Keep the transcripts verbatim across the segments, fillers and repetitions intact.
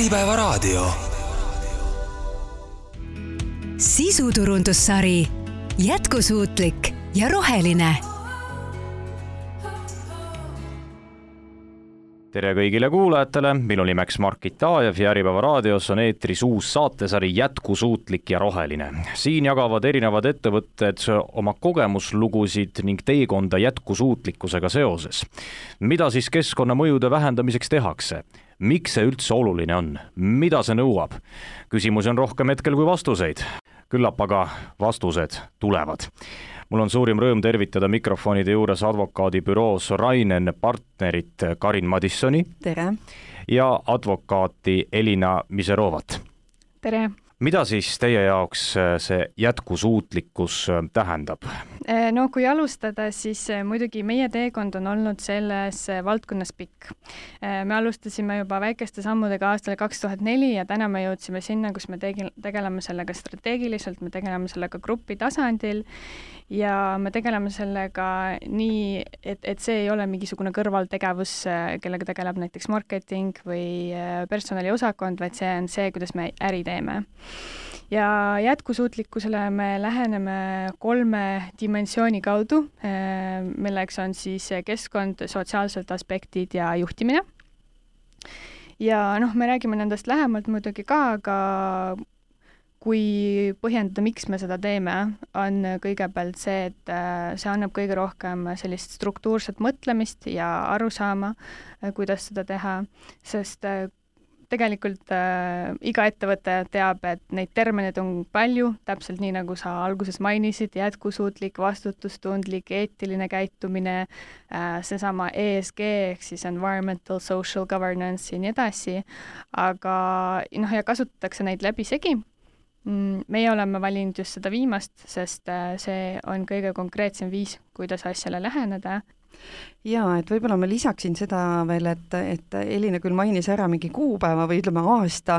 Äripäevaraadio. Sisuturundussari Jätkusuutlik ja roheline. Tere kõigile kuulajatele, minu nimeks Markit Aajev ja Äripäevaraadios on eetris uus saatesari Jätkusuutlik ja roheline. Siin jagavad erinevad ettevõtted oma kogemuslugusid ning teekonda jätkusuutlikkusega seoses. Mida siis keskkonnamõjude vähendamiseks tehakse? Miks see üldse oluline on? Mida see nõuab? Küsimusi on rohkem hetkel kui vastuseid. Küllap aga vastused tulevad. Mul on suurim rõõm tervitada mikrofonide juures advokaadibüroos Rainen partnerit Karin Madissoni. Tere. Ja advokaati Elina Miserovat. Tere. Mida siis teie jaoks see jätkusuutlikkus tähendab? No kui alustada, siis muidugi meie teekond on olnud selles valdkonnas pikk. Me alustasime juba väikeste sammudega aastal kaks tuhat neli ja täna me jõudsime sinna, kus me tegeleme sellega strateegiliselt, me tegeleme sellega grupi tasandil ja me tegeleme sellega nii, et, et see ei ole mingisugune kõrvaltegevus, kellega tegeleb näiteks marketing või personaliosakond, vaid see on see, kuidas me äri teeme. Ja jätkusuutlikkusele me läheneme kolme dimensiooni kaudu, milleks on siis keskkond, sotsiaalsed aspektid ja juhtimine. Ja noh, me räägime nendest lähemalt muidugi ka, aga kui põhjendada, miks me seda teeme, on kõigepealt see, et see annab kõige rohkem sellist struktuurset mõtlemist ja arusaama, kuidas seda teha, sest tegelikult äh, iga ettevõte teab, et neid termineid on palju, täpselt nii nagu sa alguses mainisid, jätkusuutlik, vastutustundlik, eetiline käitumine, äh, seesama E S G ehk siis environmental, social governance ja nii edasi, aga noh, ja kasutatakse neid läbi segi. Meie oleme valinud just seda viimast, sest äh, see on kõige konkreetsem viis, kuidas asjale läheneda. Jaa, et võib-olla ma lisaksin seda veel, et, et Elina küll mainis ära mingi kuupäeva või ütleme aasta,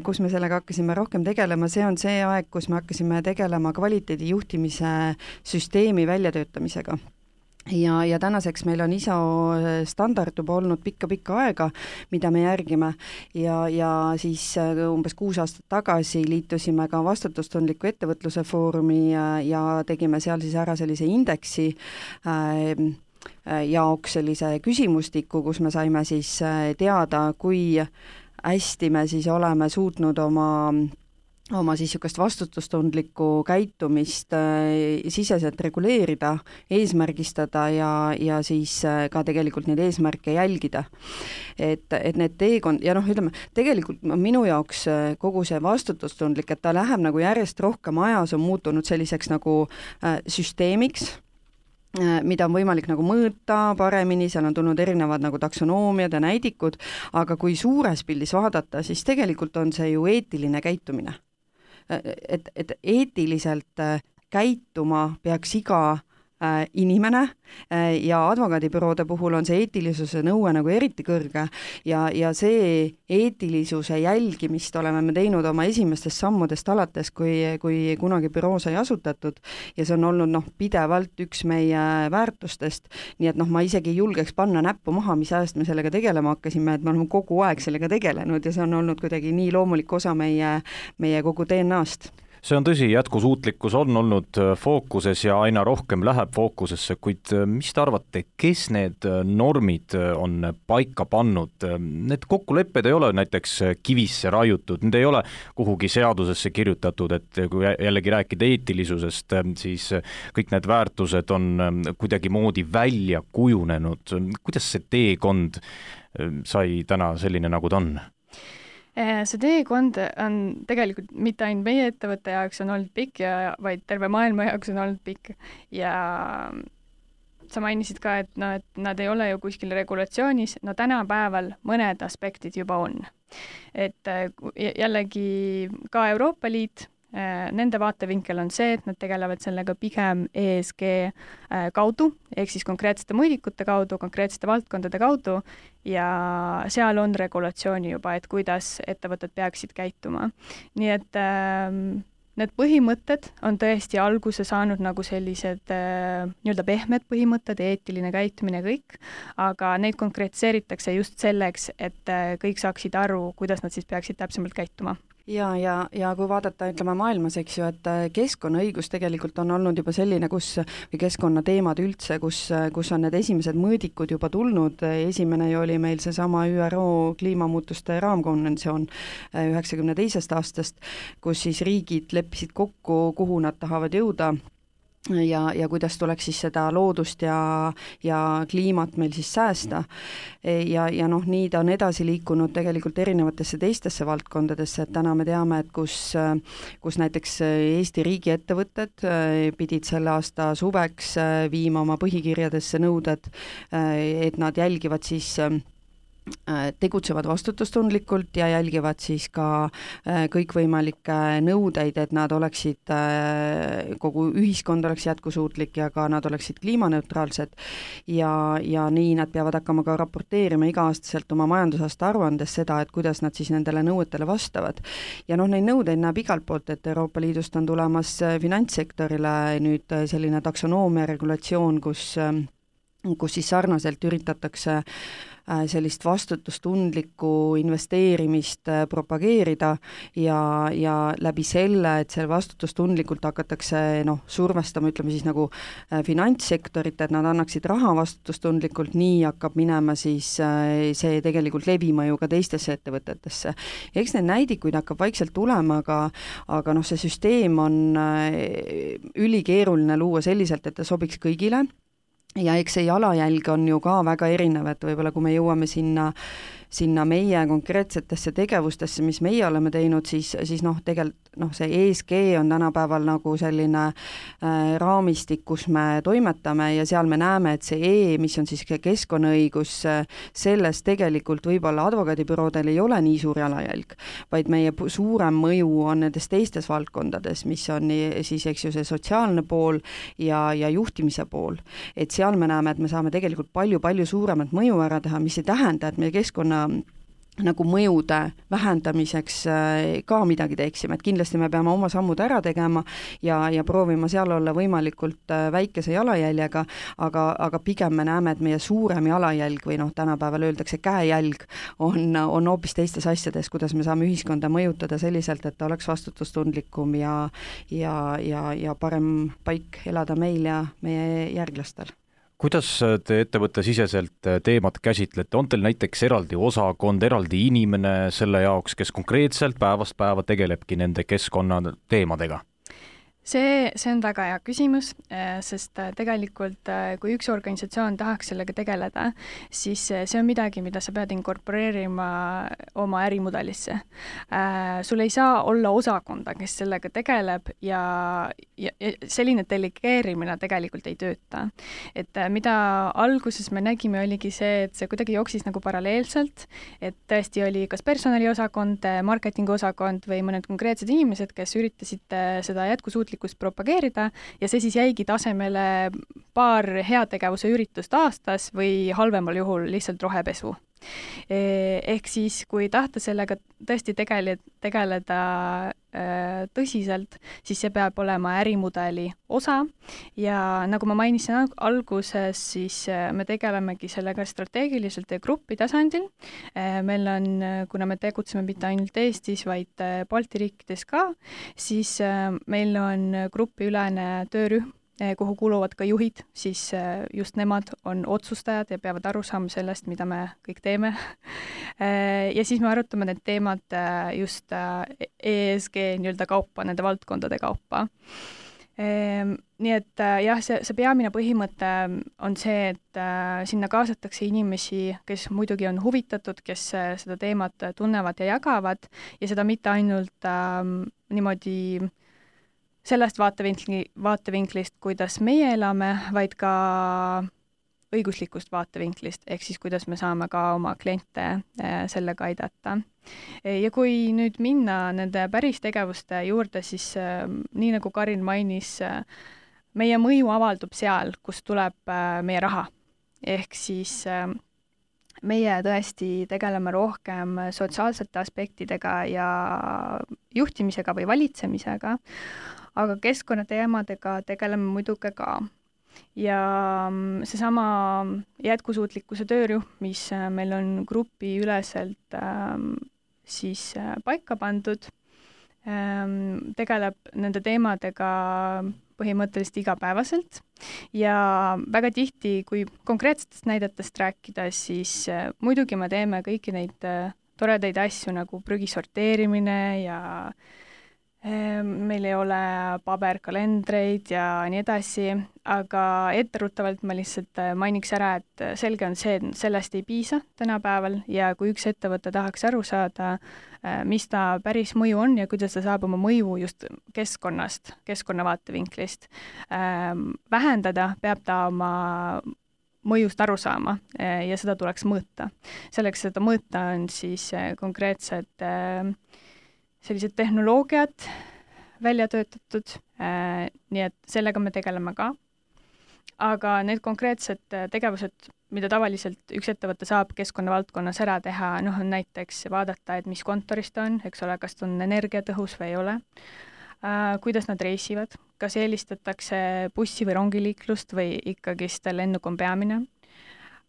kus me sellega hakkasime rohkem tegelema, see on see aeg, kus me hakkasime tegelema kvaliteedijuhtimise süsteemi väljatöötamisega. Ja, ja tänaseks meil on I S O standard juba olnud pikka-pikka aega, mida me järgime ja, ja siis umbes kuus aastat tagasi liitusime ka vastutustundliku ettevõtluse foorumi ja, ja tegime seal siis ära sellise indeksi äh, jaoks sellise küsimustiku, kus me saime siis teada, kui hästi me siis oleme suutnud oma oma siis sükast vastutustundlikku käitumist äh, siseselt reguleerida, eesmärgistada ja, ja siis äh, ka tegelikult neid eesmärke jälgida. Et, et need teekond, ja noh, ütleme, tegelikult minu jaoks kogu see vastutustundlik, et ta läheb nagu järjest rohkem ajas, on muutunud selliseks nagu äh, süsteemiks, mida on võimalik nagu mõõta paremini, seal on tulnud erinevad nagu taksonoomiad ja näidikud, aga kui suures pildis vaadata, siis tegelikult on see ju eetiline käitumine. Et, et eetiliselt käituma peaks iga äh, inimene äh, ja advokaadibüroode puhul on see eetilisuse nõue nagu eriti kõrge ja, ja see eetilisuse jälgimist oleme me teinud oma esimestest sammudest alates, kui, kui kunagi büroo sai asutatud ja see on olnud noh, pidevalt üks meie väärtustest, nii et noh, ma isegi ei julgeks panna näppu maha, mis ajast me sellega tegelema hakkasime, et me oleme kogu aeg sellega tegelenud ja see on olnud kuidagi nii loomulik osa meie, meie kogu D N A-st. See on tõsi, jätkusuutlikkus on olnud fookuses ja aina rohkem läheb fookusesse, kuid mis te arvate, kes need normid on paika pannud? Need kokkulepped ei ole näiteks kivisse raiutud, need ei ole kuhugi seadusesse kirjutatud, et kui jällegi rääkida eetilisusest, siis kõik need väärtused on kuidagi moodi välja kujunenud. Kuidas see teekond sai täna selline, nagu ta on? See teekond on tegelikult mitte ainult meie ettevõtte jaoks on olnud pikk, ja, vaid terve maailma jaoks on olnud pikk. Ja sa mainisid ka, et, no, et nad ei ole ju kuskil regulatsioonis, no tänapäeval mõned aspektid juba on. Et jällegi ka Euroopa Liit, nende vaatevinkel on see, et nad tegelevad sellega pigem E S G kaudu, ehk siis konkreetsete mõõdikute kaudu, konkreetsete valdkondade kaudu ja seal on regulatsiooni juba, et kuidas ettevõtted peaksid käituma. Nii et need põhimõtted on tõesti alguse saanud nagu sellised äh, nii-öelda pehmed põhimõtted, eetiline käitumine ja kõik, aga neid konkreetseeritakse just selleks, et äh, kõik saaksid aru, kuidas nad siis peaksid täpsemalt käituma. ja, ja, ja kui vaadata, ütleme maailmas, eks ju, et keskkonnaõigus tegelikult on olnud juba selline, kus, või keskkonnateemad üldse, kus, kus on need esimesed mõõdikud juba tulnud, esimene ju oli meil seesama Ü R O kliimamuutuste raamkonventsioon üheksakümne teisest aastast, kus siis riigid leppisid kokku, kuhu nad tahavad jõuda, ja, ja kuidas tuleks siis seda loodust ja, ja kliimat meil siis säästa. Ja, ja noh, nii ta on edasi liikunud tegelikult erinevatesse teistesse valdkondadesse, et täna me teame, et kus, kus näiteks Eesti riigiettevõtted pidid selle aasta suveks viima oma põhikirjadesse nõuded, et nad jälgivad siis tegutsevad vastutustundlikult ja jälgivad siis ka kõikvõimalikke nõudeid, et nad oleksid, kogu ühiskond oleks jätkusuutlik ja ka nad oleksid kliimaneutraalsed ja, ja nii nad peavad hakkama ka raporteerima iga-aastaselt oma majandusaasta aruandes seda, et kuidas nad siis nendele nõuetele vastavad. Ja noh, neid nõudeid näeb igalt poolt, et Euroopa Liidust on tulemas finantssektorile nüüd selline taksonoomia regulatsioon, kus, kus siis sarnaselt üritatakse sellist vastutustundlikku investeerimist propageerida ja, ja läbi selle, et see vastutustundlikult hakatakse noh, survestama, ütleme siis nagu finantssektorit, et nad annaksid raha vastutustundlikult, nii hakkab minema siis see tegelikult levima ju ka teistesse ettevõtetesse. Eks need näidikuid hakkab vaikselt tulema, aga, aga noh, see süsteem on ülikeeruline luua selliselt, et ta sobiks kõigile. Ja eks see jalajälg on ju ka väga erinev, et võib-olla kui me jõuame sinna, sinna meie konkreetsetesse tegevustesse, mis meie oleme teinud, siis, siis noh, tegelikult noh, see E S G on tänapäeval nagu selline äh, raamistik, kus me toimetame ja seal me näeme, et see E, mis on siis keskkonnaõigus, selles tegelikult võib-olla advokaadibüroodel ei ole nii suur jalajälg, vaid meie suurem mõju on nendes teistes valdkondades, mis on siis, eks ju, see sotsiaalne pool ja, ja juhtimise pool. Et seal me näeme, et me saame tegelikult palju-palju suuremat mõju ära teha, mis ei tähenda, et meie keskkonna nagu mõjude vähendamiseks ka midagi teeksime, et kindlasti me peame oma sammud ära tegema ja, ja proovima seal olla võimalikult väikese jalajäljega, aga, aga pigem me näeme, et meie suurem jalajälg või noh, tänapäeval öeldakse käejälg on, on hoopis teistes asjades, kuidas me saame ühiskonda mõjutada selliselt, et ta oleks vastutustundlikum ja, ja, ja, ja parem paik elada meil ja meie järglastel. Kuidas te ettevõttesiseselt teemat käsitlete? On teil näiteks eraldi osakond, eraldi inimene selle jaoks, kes konkreetselt päevast päeva tegelebki nende keskkonna teemadega? See, see on väga hea küsimus, sest tegelikult kui üks organisatsioon tahaks sellega tegeleda, siis see on midagi, mida sa pead inkorporeerima oma ärimudelisse. Sul ei saa olla osakonda, kes sellega tegeleb ja, ja, ja selline delegeerimine tegelikult ei tööta. Et mida alguses me nägime, oligi see, et see kuidagi jooksis nagu paralleelselt, et tõesti oli kas personaliosakond, marketingiosakond või mõned konkreetsed inimesed, kes üritasid seda jätkusuutlikult propageerida ja see siis jäigi tasemele paar heategevuse üritust aastas või halvemal juhul lihtsalt rohepesu. Ehk siis, kui tahta sellega tõesti tegeleda, tegeleda tõsiselt, siis see peab olema ärimudeli osa ja nagu ma mainisin alguses, siis me tegelemegi sellega strateegiliselt ja grupi tasandil. Meil on, kuna me tegutseme mitte ainult Eestis, vaid Balti riikides ka, siis meil on grupiülene töörühm, kuhu kuuluvad ka juhid, siis just nemad on otsustajad ja peavad aru saama sellest, mida me kõik teeme. Ja siis me arutame need teemad just E S G nii-öelda kaupa, nende valdkondade kaupa. Nii et jah, see, see peamine põhimõte on see, et sinna kaasatakse inimesi, kes muidugi on huvitatud, kes seda teemat tunnevad ja jagavad ja seda mitte ainult ähm, niimoodi sellest vaatevinkli, vaatevinklist, kuidas meie elame, vaid ka õiguslikust vaatevinklist, ehk siis kuidas me saame ka oma kliente sellega aidata. Ja kui nüüd minna nende päris tegevuste juurde, siis nii nagu Karin mainis, meie mõju avaldub seal, kus tuleb meie raha. Ehk siis meie tõesti tegeleme rohkem sotsiaalsete aspektidega ja, juhtimisega või valitsemisega, aga keskkonnateemadega tegeleme muidugi ka. Ja seesama jätkusuutlikkuse töörühm, mis meil on grupiüleselt ähm, siis paika pandud, ähm, tegeleb nende teemadega põhimõtteliselt igapäevaselt ja väga tihti, kui konkreetsetest näidetest rääkida, siis äh, muidugi me teeme kõiki neid äh, toredaid asju nagu prügi sorteerimine ja äh, meil ei ole paberkalendreid ja nii edasi, aga etteruttavalt ma lihtsalt äh, mainiks ära, et selge on see, et sellest ei piisa tänapäeval ja kui üks ettevõte tahaks aru saada, mis ta päris mõju on ja kuidas ta saab oma mõju just keskkonnast, keskkonna vaatevinklist ähm, vähendada, peab ta oma mõjust aru saama ja seda tuleks mõõta. Selleks, seda mõõta on siis konkreetsed äh, sellised tehnoloogiad välja töötatud, äh, nii et sellega me tegeleme ka. Aga need konkreetsed tegevused, mida tavaliselt üks ettevõte saab keskkonnavaldkonnas ära teha, noh on näiteks vaadata, et mis kontoris ta on, eks ole, kas ta on energiatõhus või ei ole, äh, kuidas nad reisivad, kas eelistatakse bussi või rongiliiklust või ikkagist lennuk on peamine.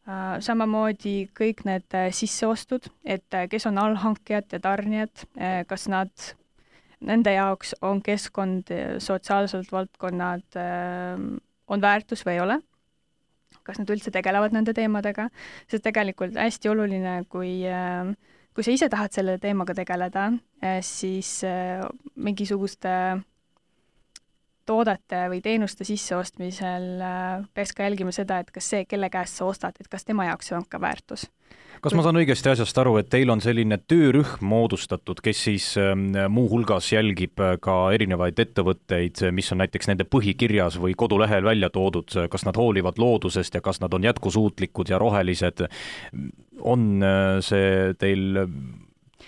Äh, samamoodi kõik need sisseostud, et kes on allhankijad ja tarnijad, äh, kas nad, nende jaoks on keskkond, sotsiaalselt valdkonnad äh, on väärtus või ei ole, kas nad üldse tegelevad nende teemadega, sest tegelikult hästi oluline, kui, kui sa ise tahad selle teemaga tegeleda, siis mingisuguste toodete või teenuste sisseostmisel peaks ka jälgima seda, et kas see, kelle käest sa ostad, et kas tema jaoks see on ka väärtus. Kas ma saan õigesti asjast aru, et teil on selline töörühm moodustatud, kes siis muu hulgas jälgib ka erinevaid ettevõtteid, mis on näiteks nende põhikirjas või kodulehel välja toodud, kas nad hoolivad loodusest ja kas nad on jätkusuutlikud ja rohelised, on see teil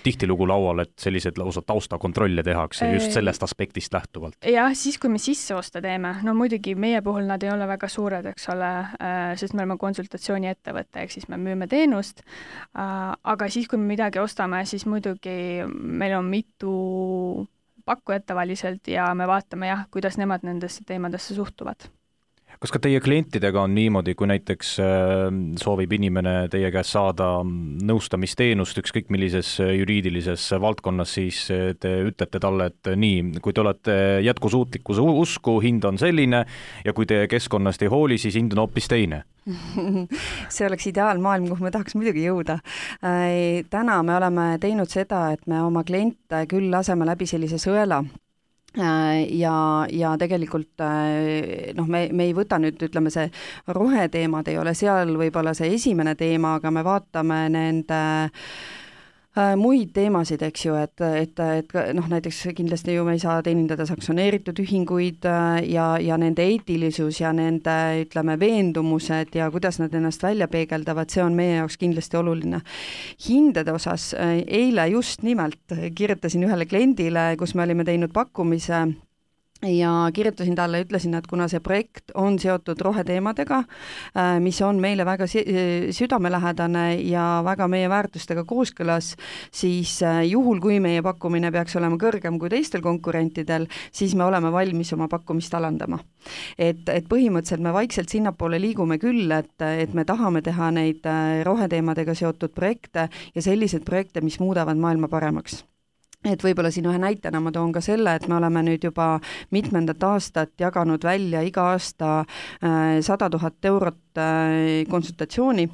tihtilugu laual, et sellised lausa taustakontrolle tehakse just sellest aspektist lähtuvalt? Jah, siis kui me sisseoste teeme, no muidugi meie puhul nad ei ole väga suured, eks ole, sest me oleme konsultatsiooni ettevõte, ehk siis me müüme teenust, aga siis, kui me midagi ostame, siis muidugi meil on mitu pakkujat tavaliselt ja me vaatame jah, kuidas nemad nendesse teemadesse suhtuvad. Kas ka teie klientidega on niimoodi, kui näiteks soovib inimene teie käest saada nõustamisteenust ükskõik millises juriidilises valdkonnas, siis te ütlete talle, et nii, kui te olete jätkusuutlikkuse usku, hind on selline ja kui te keskkonnast ei hooli, siis hind on hoopis teine? See oleks ideaalmaailm, kuhu me tahaks muidugi jõuda. Täna me oleme teinud seda, et me oma kliente küll laseme läbi sellise sõela, ja, ja tegelikult noh, me, me ei võta nüüd, ütleme, see roheteemad ei ole seal võib-olla see esimene teema, aga me vaatame nende muid teemasid, eks ju, et, et, et noh, näiteks kindlasti ju me ei saa teenindada sanktsioneeritud ühinguid ja, ja nende eetilisus ja nende, ütleme, veendumused ja kuidas nad ennast välja peegeldavad, see on meie jaoks kindlasti oluline. Hindade osas eile just nimelt kirjutasin ühele kliendile, kus me olime teinud pakkumise ja kirjutasin talle, ütlesin, et kuna see projekt on seotud roheteemadega, mis on meile väga südamelähedane ja väga meie väärtustega kooskõlas, siis juhul, kui meie pakkumine peaks olema kõrgem kui teistel konkurentidel, siis me oleme valmis oma pakkumist alandama. Et, et põhimõtteliselt me vaikselt sinnapoole liigume küll, et, et me tahame teha neid roheteemadega seotud projekte ja selliseid projekte, mis muudavad maailma paremaks. Et võib-olla siin ühe näitena ma toon ka selle, et me oleme nüüd juba mitmendat aastat jaganud välja iga aasta sada tuhat eurot konsultatsiooni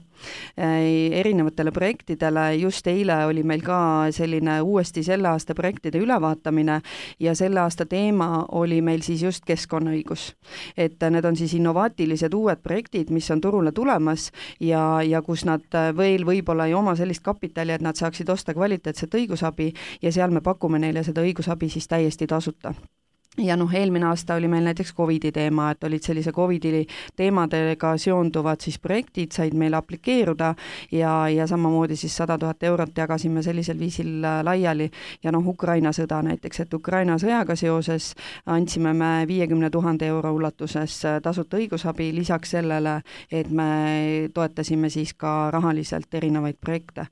erinevatele projektidele. Just eile oli meil ka selline uuesti selle aasta projektide ülevaatamine ja selle aasta teema oli meil siis just keskkonnaõigus. Et need on siis innovaatilised uued projektid, mis on turule tulemas ja, ja kus nad veel võib-olla ei oma sellist kapitali, et nad saaksid osta kvaliteetset õigusabi ja seal me pakume neile seda õigusabi siis täiesti tasuta. ja noh, eelmine aasta oli meil näiteks Covidi teema, et olid sellise Covidi teemadega seonduvad siis projektid, said meile aplikeeruda ja, ja samamoodi siis sada tuhat eurot jagasime sellisel viisil laiali ja noh, Ukraina sõda näiteks, et Ukraina sõjaga seoses andsime me viiekümne tuhande euro ulatuses tasuta õigusabi, lisaks sellele, et me toetasime siis ka rahaliselt erinevaid projekte.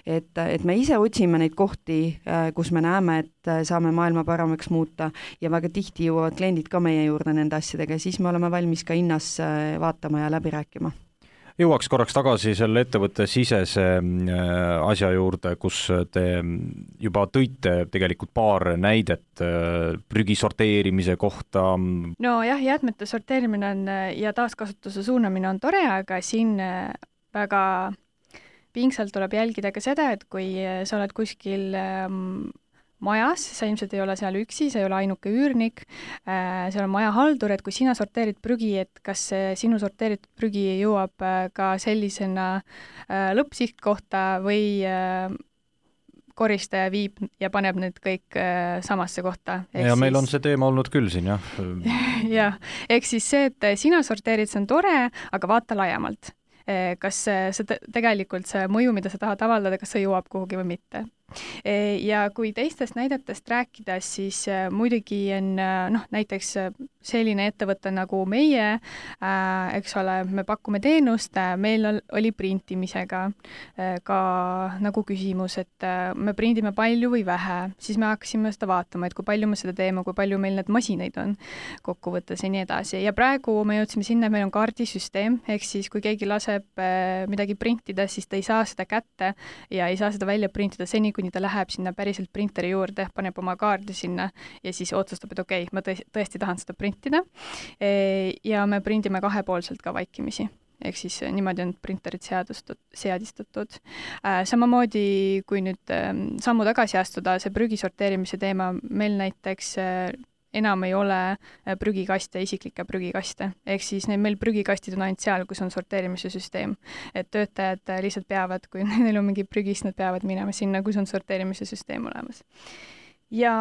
Et, et me ise otsime neid kohti, kus me näeme, et saame maailma paremaks muuta ja väga tihti jõuavad kliendid ka meie juurde nende asjadega ja siis me oleme valmis ka hinnas vaatama ja läbi rääkima. Jõuaks korraks tagasi selle ettevõtte sisese asja juurde, kus te juba tõite tegelikult paar näidet prügi sorteerimise kohta. No jah, jäätmete sorteerimine on ja taaskasutuse suunamine on tore, aga siin väga pingsalt tuleb jälgida ka seda, et kui sa oled kuskil majas, sa ilmselt ei ole seal üksi, sa ei ole ainuke üürnik, seal on maja haldur, et kui sina sorteerid prügi, et kas sinu sorteeritud prügi jõuab ka sellisena lõppsihtkohta või koristaja viib ja paneb need kõik samasse kohta. Ja siis... meil on see teema olnud küll siin, jah. jah, ehk siis see, et sina sorteerid, see on tore, aga vaata laiemalt. Kas see tegelikult see mõju, mida sa tahad avaldada, kas see jõuab kuhugi või mitte. Ja kui teistest näidetest rääkida, siis muidugi on noh, näiteks selline ettevõte nagu meie, eks ole, me pakume teenust, meil oli printimisega ka nagu küsimus, et me prindime palju või vähe, siis me hakkasime seda vaatama, et kui palju me seda teeme, kui palju meil need masinaid on kokkuvõttes ja nii edasi. Ja praegu me jõudsime sinna, meil on kaardisüsteem, ehk siis kui keegi laseb midagi printida, siis ta ei saa seda kätte ja ei saa seda välja printida seni, kuni ta läheb sinna päriselt printeri juurde, paneb oma kaardi sinna ja siis otsustab, et okei, okay, ma tõesti tahan seda printida. Ja me prindime kahepoolselt ka vaikimisi. Ehk siis niimoodi on printerid seadistatud. Samamoodi, kui nüüd sammu tagasi astuda, see prügi sorteerimise teema, meil näiteks enam ei ole prügikaste, isiklikke prügikaste. Ehk siis meil prügikastid on ainult seal, kus on sorteerimise süsteem. Et töötajad lihtsalt peavad, kui neil on mingi prügis, nad peavad minema sinna, kus on sorteerimise süsteem olemas. Ja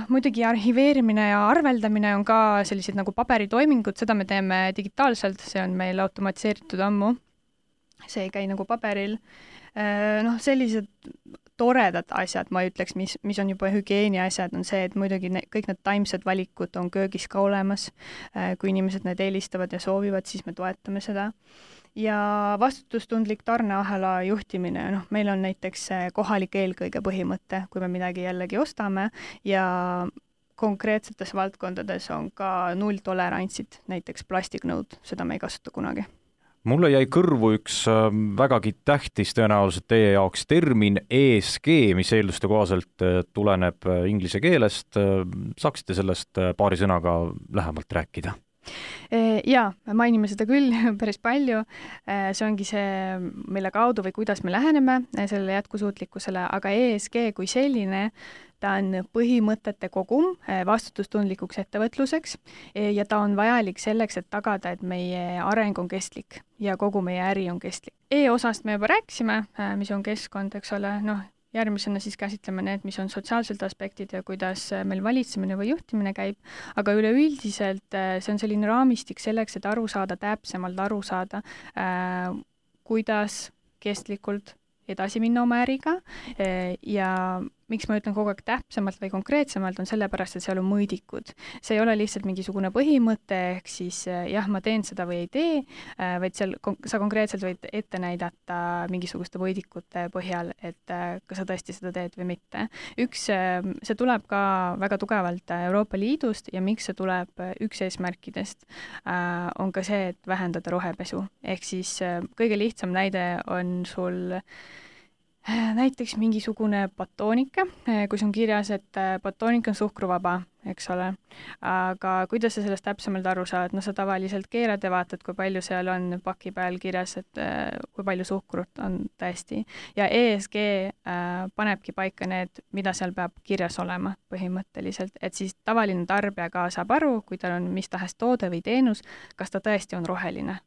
muidugi arhiveerimine ja arveldamine on ka sellised nagu paberitoimingud, seda me teeme digitaalselt, see on meil automatiseeritud ammu. See ei käi nagu paberil. Noh, sellised toredad asjad, ma ütleks, mis, mis on juba hügieeni asjad, on see, et muidugi ne, kõik need taimsed valikud on köögis ka olemas. Kui inimesed need eelistavad ja soovivad, siis me toetame seda. Ja vastutustundlik tarneahela juhtimine, noh, meil on näiteks kohalik eelkõige põhimõte, kui me midagi jällegi ostame ja konkreetsetes valdkondades on ka nulltolerantsid, näiteks plastiknõud, seda me ei kasuta kunagi. Mulle jäi kõrvu üks vägagi tähtis tõenäoliselt teie jaoks termin E S G, mis eelduste kohaselt tuleneb inglise keelest. Saaksite sellest paari sõnaga lähemalt rääkida? Jaa, mainime seda küll päris palju. See ongi see, mille kaudu või kuidas me läheneme sellele jätkusuutlikkusele, aga E S G kui selline, ta on põhimõtete kogum vastutustundlikuks ettevõtluseks ja ta on vajalik selleks, et tagada, et meie areng on kestlik ja kogu meie äri on kestlik. E-osast me juba rääkisime, mis on keskkond, eks ole, noh, järgmisena siis käsitleme need, mis on sotsiaalsed aspektid ja kuidas meil valitsemine või juhtimine käib, aga üleüldiselt see on selline raamistik selleks, et aru saada, täpsemalt aru saada, kuidas kestlikult edasi minna oma äriga ja miks ma ütlen kogu aeg täpsemalt või konkreetsemalt, on sellepärast, et seal on mõõdikud. See ei ole lihtsalt mingisugune põhimõte, ehk siis jah, ma teen seda või ei tee, vaid seal sa konkreetselt võid ette näidata mingisuguste mõõdikute põhjal, et kas sa tõesti seda teed või mitte. Üks, see tuleb ka väga tugevalt Euroopa Liidust ja miks see tuleb üks eesmärkidest, on ka see, et vähendada rohepesu. Ehk siis kõige lihtsam näide on sul näiteks mingisugune batoonika, kus on kirjas, et batoonik on suhkruvaba, eks ole. Aga kuidas sa sellest täpsemalt aru saad? No sa tavaliselt keerad ja vaatad, kui palju seal on paki peal kirjas, et kui palju suhkrut on tõesti. Ja E S G panebki paika need, mida seal peab kirjas olema põhimõtteliselt, et siis tavaline tarbija ka saab aru, kui tal on mis tahes toode või teenus, kas ta tõesti on roheline.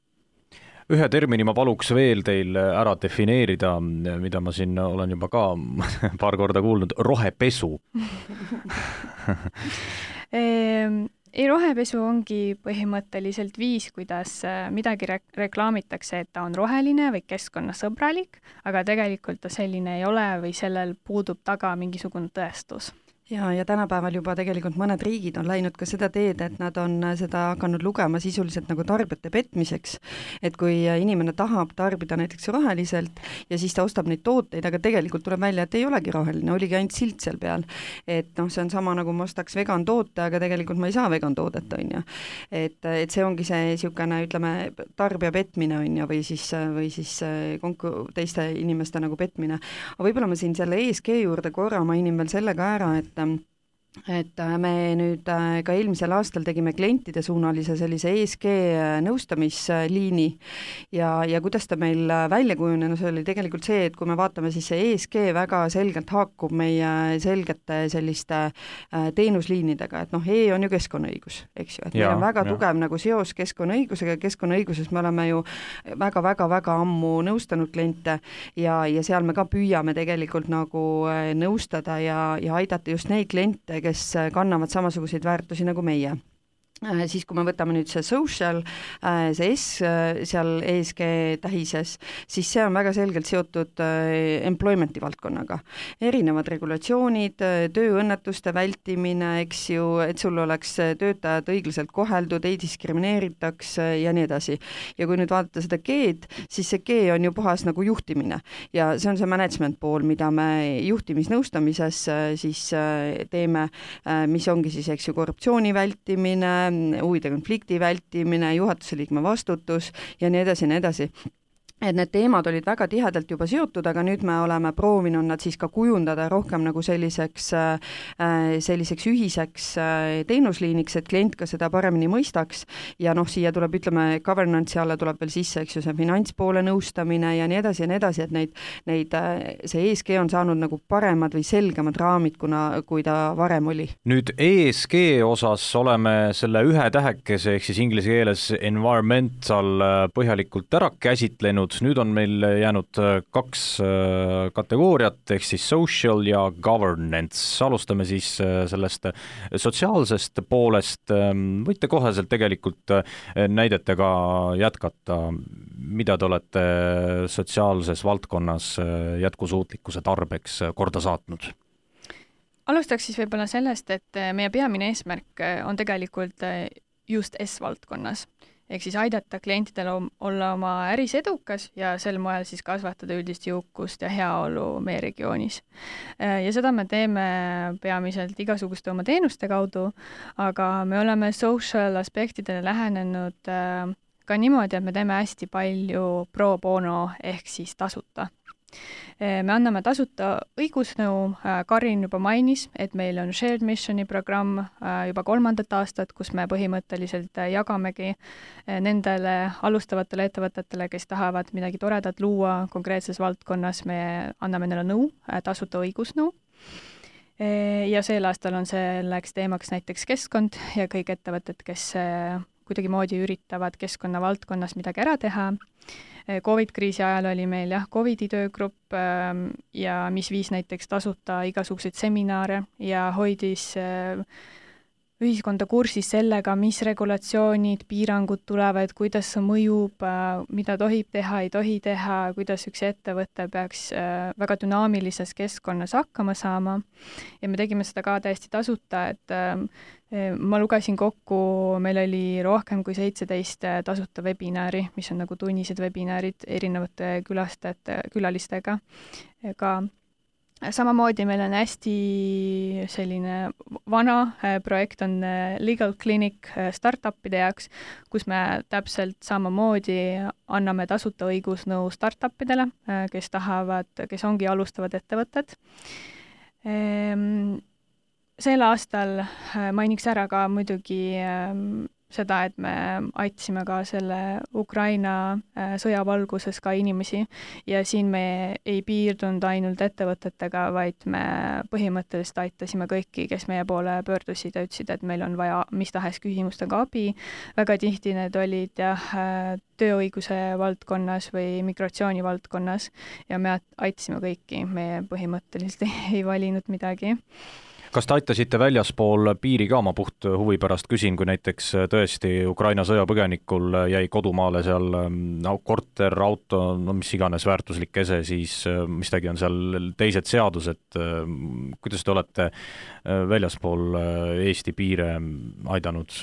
Ühe termini ma paluks veel teil ära defineerida, mida ma siin olen juba ka paar korda kuulnud, rohepesu. Ei, rohepesu ongi põhimõtteliselt viis, kuidas midagi re- reklaamitakse, et ta on roheline või keskkonnasõbralik, aga tegelikult ta selline ei ole või sellel puudub taga mingisugune tõestus. Ja, ja tänapäeval juba tegelikult mõned riigid on läinud ka seda teed, et nad on seda hakanud lugema sisuliselt nagu tarbijate petmiseks. Et kui inimene tahab tarbida näiteks roheliselt ja siis ta ostab neid tooteid, aga tegelikult tuleb välja, et ei olegi roheline, oligi ainult silt seal peal. Et noh, see on sama nagu ma ostaks vegan toote, aga tegelikult ma ei saa vegan toodet, on ju. Et, et see ongi see niisugune, ütleme, tarbija petmine on ju, või siis, või siis konku, teiste inimeste nagu petmine. Aga võib-olla ma siin selle E S G juurde korra mainin veel selle ka ära, et et me nüüd ka eelmisel aastal tegime klientide suunalise sellise E S G nõustamisliini ja, ja kuidas ta meil välja kujunenud, see oli tegelikult see, et kui me vaatame, siis see E S G väga selgelt haakub meie selgete selliste teenusliinidega, et noh, E on ju keskkonnaõigus, eks ju, et ja, meil on väga ja. tugev nagu seos keskkonnaõigusega, keskkonnaõiguses me oleme ju väga-väga-väga ammu nõustanud kliente ja, ja seal me ka püüame tegelikult nagu nõustada ja, ja aidata just neid kliente, kes kannavad samasuguseid väärtusi nagu meie. Siis kui me võtame nüüd see social, see S seal E S G tähises, siis see on väga selgelt seotud employmenti valdkonnaga. Erinevad regulatsioonid, tööõnnetuste vältimine, eks ju, et sul oleks töötajad õiglaselt koheldud, ei diskrimineeritaks ja nii edasi. Ja kui nüüd vaadata seda G-d, siis see G on ju puhas nagu juhtimine ja see on see management pool, mida me juhtimisnõustamises siis teeme, mis ongi siis, eks ju, korruptsiooni vältimine, huvide konflikti vältimine, juhatuse liikme vastutus ja nii edasi ja nii edasi. Et need teemad olid väga tihedalt juba seotud, aga nüüd me oleme proovinud nad siis ka kujundada rohkem nagu selliseks, selliseks ühiseks teenusliiniks, et klient ka seda paremini mõistaks ja noh, siia tuleb, ütleme, governance alla tuleb veel sisse, eks ju, see finantspoole nõustamine ja nii edasi ja nii edasi, et neid, neid, see E S G on saanud nagu paremad või selgemad raamid, kuna, kui ta varem oli. Nüüd E S G osas oleme selle ühe tähekese, ehk siis inglise keeles environmental põhjalikult ära käsitlenud. Nüüd on meil jäänud kaks kategooriat, ehk siis social ja governance. Alustame siis sellest sotsiaalsest poolest. Võite koheselt tegelikult näidetega jätkata, mida te olete sotsiaalses valdkonnas jätkusuutlikkuse tarbeks korda saatnud? Alustaks siis võib-olla sellest, et meie peamine eesmärk on tegelikult just S-valdkonnas. Ehk siis aidata klientidel olla oma äris edukas ja sel moel siis kasvatada üldist jõukust ja heaolu meie regioonis. Ja seda me teeme peamiselt igasuguste oma teenuste kaudu, aga me oleme social aspektidele lähenenud ka niimoodi, et me teeme hästi palju pro bono ehk siis tasuta. Me anname tasuta õigusnõu, Karin juba mainis, et meil on Shared Missioni programm juba kolmandat aastat, kus me põhimõtteliselt jagamegi nendele alustavatele ettevõtetele, kes tahavad midagi toredat luua konkreetses valdkonnas, me anname neile nõu, tasuta õigusnõu. Ja sel aastal on selleks teemaks näiteks keskkond ja kõik ettevõtted, kes kuidagi moodi üritavad keskkonna valdkonnas midagi ära teha. Covid-kriisi ajal oli meil jah, Covidi töögrupp ja mis viis näiteks tasuta igasuguseid seminare ja hoidis ühiskonda kursis sellega, mis regulatsioonid, piirangud tulevad, kuidas see mõjub, mida tohib teha, ei tohi teha, kuidas üks ettevõte peaks väga dünaamilises keskkonnas hakkama saama. Ja me tegime seda ka täiesti tasuta, et ma lugesin kokku, meil oli rohkem kui seitseteist tasuta webinaari, mis on nagu tunnised webinaarid erinevate külastajate, külalistega. Ka samamoodi meil on hästi selline vana projekt on Legal Clinic startupide jaoks, kus me täpselt samamoodi anname tasuta õigusnõu startupidele, kes tahavad, kes ongi alustavad ettevõtted. Sel aastal mainiks ära ka muidugi seda, et me aitasime ka selle Ukraina sõja valguses ka inimesi ja siin me ei piirdunud ainult ettevõtetega, vaid me põhimõtteliselt aitasime kõiki, kes meie poole pöördusid ja ütlesid, et meil on vaja mis tahes küsimustega abi. Väga tihti need olid jah, tööõiguse valdkonnas või migratsiooni valdkonnas ja me aitasime kõiki, me põhimõtteliselt ei valinud midagi. kas te aitasite väljaspool piiri ka, ma puht huvi pärast küsin, kui näiteks tõesti Ukraina sõjapõgenikul jäi kodumaale seal no, korter, auto, no mis iganes väärtuslik ese, siis mistagi on seal teised seadused, kuidas te olete väljaspool Eesti piire aidanud?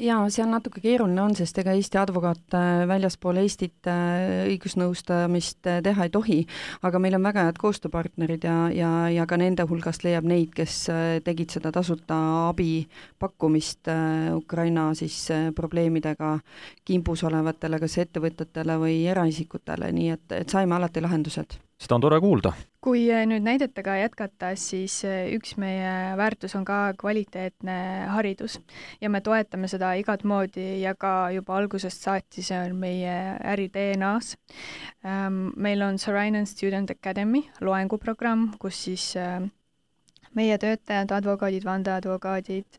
Jaa, see on natuke keeruline on, sest ega Eesti advokaat väljaspool Eestit õigusnõustamist teha ei tohi, aga meil on väga head koostööpartnerid ja, ja, ja ka nende hulgast leiab neid, kes tegid seda tasuta abi pakkumist Ukraina siis probleemidega kimbus olevatele kas ettevõtetele või eraisikutele, nii et, et saime alati lahendused. Seda on tore kuulda. Kui nüüd näidetega jätkata, siis üks meie väärtus on ka kvaliteetne haridus ja me toetame seda igat moodi ja ka juba algusest saati, see on meie äri D N A-s. Meil on Sorainen Student Academy loenguprogramm, kus siis meie töötajad, advokaadid, vandeadvokaadid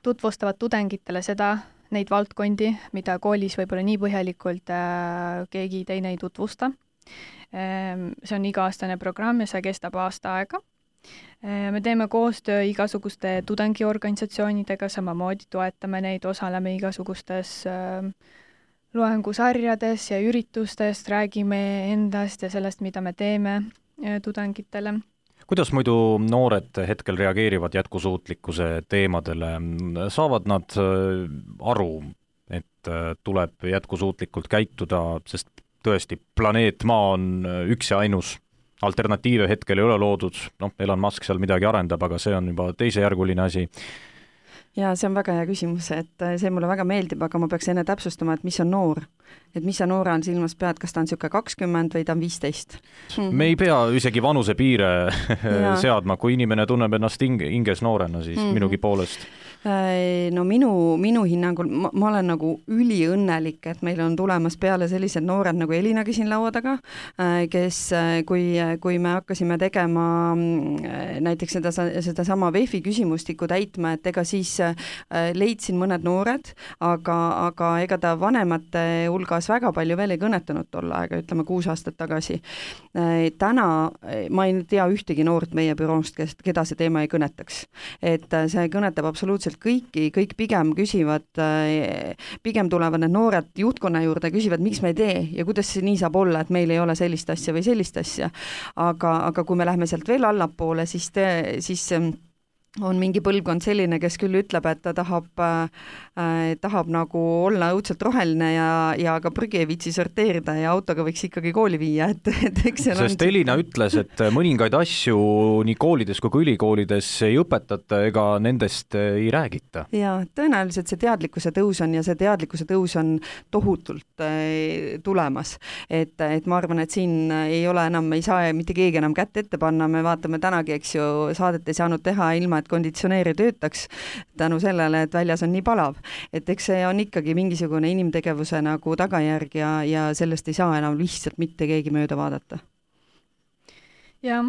tutvustavad tudengitele seda, neid valdkondi, mida koolis võib-olla nii põhjalikult keegi teine ei tutvusta. See on iga-aastane programm ja see kestab aasta aega. Me teeme koostöö igasuguste tudengiorganisatsioonidega, samamoodi toetame neid, osaleme igasugustes loengusarjades ja üritustest, räägime endast ja sellest, mida me teeme tudengitele. Kuidas muidu noored hetkel reageerivad jätkusuutlikkuse teemadele? Saavad nad aru, et tuleb jätkusuutlikult käituda, sest tõesti, planeet Maa on üks ja ainus, alternatiive hetkel ei ole loodud, noh, Elon Musk seal midagi arendab, aga see on juba teisejärguline asi. Ja see on väga hea küsimus, et see mulle väga meeldib, aga ma peaks enne täpsustama, et mis on noor. Et mis sa noore on silmas pead, kas ta on niisugune kakskümmend või ta on viisteist? Me ei pea isegi vanuse piire seadma, kui inimene tunneb ennast hinges noorena, siis mm-hmm. minugi poolest. No minu, minu hinnangul, ma, ma olen nagu üliõnnelik, et meil on tulemas peale sellised noored nagu Elinagi siin laua taga, kes, kui, kui me hakkasime tegema näiteks seda, seda sama V E F-i küsimustiku täitma, et ega siis leidsin mõned noored, aga, aga ega ta vanemate hulgas väga palju veel ei kõnetanud tol aega, ütleme kuus aastat tagasi. Täna ma ei tea ühtegi noort meie büroost, kes, keda see teema ei kõnetaks. Et see kõnetab absoluutselt kõiki, kõik pigem küsivad, pigem tulevad need noored juhtkonna juurde, küsivad, miks me ei tee ja kuidas see nii saab olla, et meil ei ole sellist asja või sellist asja. Aga, aga kui me lähme sealt veel allapoole, siis, te, siis on mingi põlvkond selline, kes küll ütleb, et ta tahab, äh, tahab nagu olla õudselt roheline ja, ja ka prügi ei viitsi sorteerida ja autoga võiks ikkagi kooli viia. Et, et eks Sest on... Elina ütles, et mõningaid asju nii koolides kui ülikoolides ei õpetata ega nendest ei räägita. Ja tõenäoliselt see teadlikkuse tõus on ja see teadlikkuse tõus on tohutult äh, tulemas. Et, et ma arvan, et siin ei ole enam, ei saa mitte keegi enam kätt ette panna, me vaatame tänagi, eks ju, saadet ei saanud teha ilma, et konditsioneeri töötaks tänu sellele, et väljas on nii palav. Et eks see on ikkagi mingisugune inimtegevuse nagu tagajärg ja, ja sellest ei saa enam lihtsalt mitte keegi mööda vaadata. Ja,